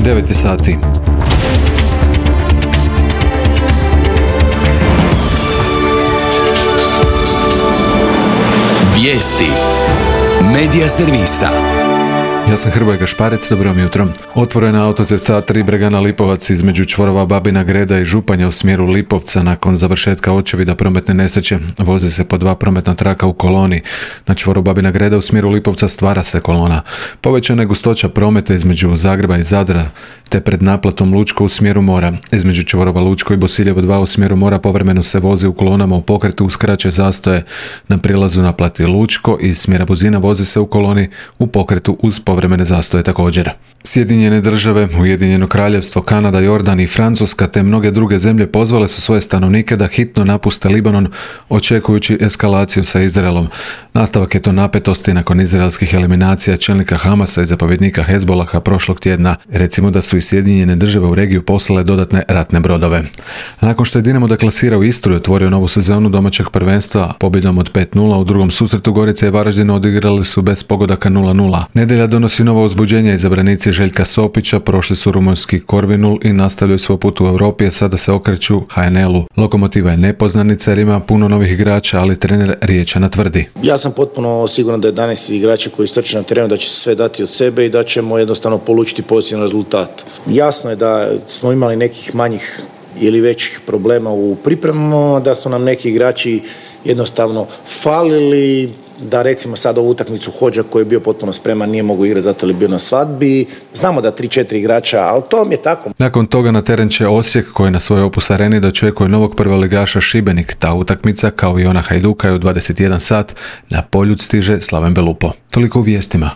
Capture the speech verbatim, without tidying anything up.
devet je sati. Vijesti Medija servisa. Ja sam Hrvoje Gašparec, dobro vam jutro. Otvorena autocesta A tri Bregana Lipovac između čvorova Babina Greda i Županja u smjeru Lipovca nakon završetka očevida prometne nesreće. Vozi se po dva prometna traka u koloni. Na čvoru Babina Greda u smjeru Lipovca stvara se kolona. Povećana je gustoća prometa između Zagreba i Zadra, te pred naplatom Lučko u smjeru mora. Između čvorova Lučko i Bosiljevo dva u smjeru mora povremeno se vozi u kolonama u pokretu uz kraće zastoje. Na prilazu naplati Lučko iz smjera Buzina vozi se u koloni u pokretu uz povremene zastoje također. Sjedinjene države, Ujedinjeno kraljevstvo, Kanada, Jordan i Francuska te mnoge druge zemlje pozvale su svoje stanovnike da hitno napuste Libanon očekujući eskalaciju sa Izraelom. Nastavak je to napetosti nakon izraelskih eliminacija čelnika Hamasa i zapovjednika Hezbolaha prošlog tjedna. Recimo da su i Sjedinjene države u regiju poslale dodatne ratne brodove. Nakon što je Dinamo deklasirao Istru i otvorio novu sezonu domaćeg prvenstva pobjedom od pet nula, u drugom susretu Gorica i Varaždin odigrali su bez pogodaka nula nula. Nedjelja donosi novo uzbuđenje. Izabranici Željka Sopića prošli su rumunjski Korvinul i nastavljaju svoj put u Europi, a sada se okreću H N L-u. Lokomotiva je nepoznanica jer ima puno novih igrača, ali trener Riječana tvrdi: Ja sam potpuno siguran da jedanaest igrača koji strče na terenu da će sve dati od sebe i da ćemo jednostavno polučiti pozitivan rezultat. Jasno je da smo imali nekih manjih ili većih problema u pripremama, da su nam neki igrači jednostavno falili, da recimo sad ovu utakmicu Hođa koji je bio potpuno spreman nije mogao igrati zato je bio na svadbi. Znamo da tri četiri igrača, ali to mi je tako. Nakon toga na teren će Osijek koji na svojoj Opus areni dočekuje novog prvoligaša Šibenik. Ta utakmica kao i ona Hajduka je u dvadeset jedan sat. Na Poljud stiže Slaven Belupo. Toliko u vijestima.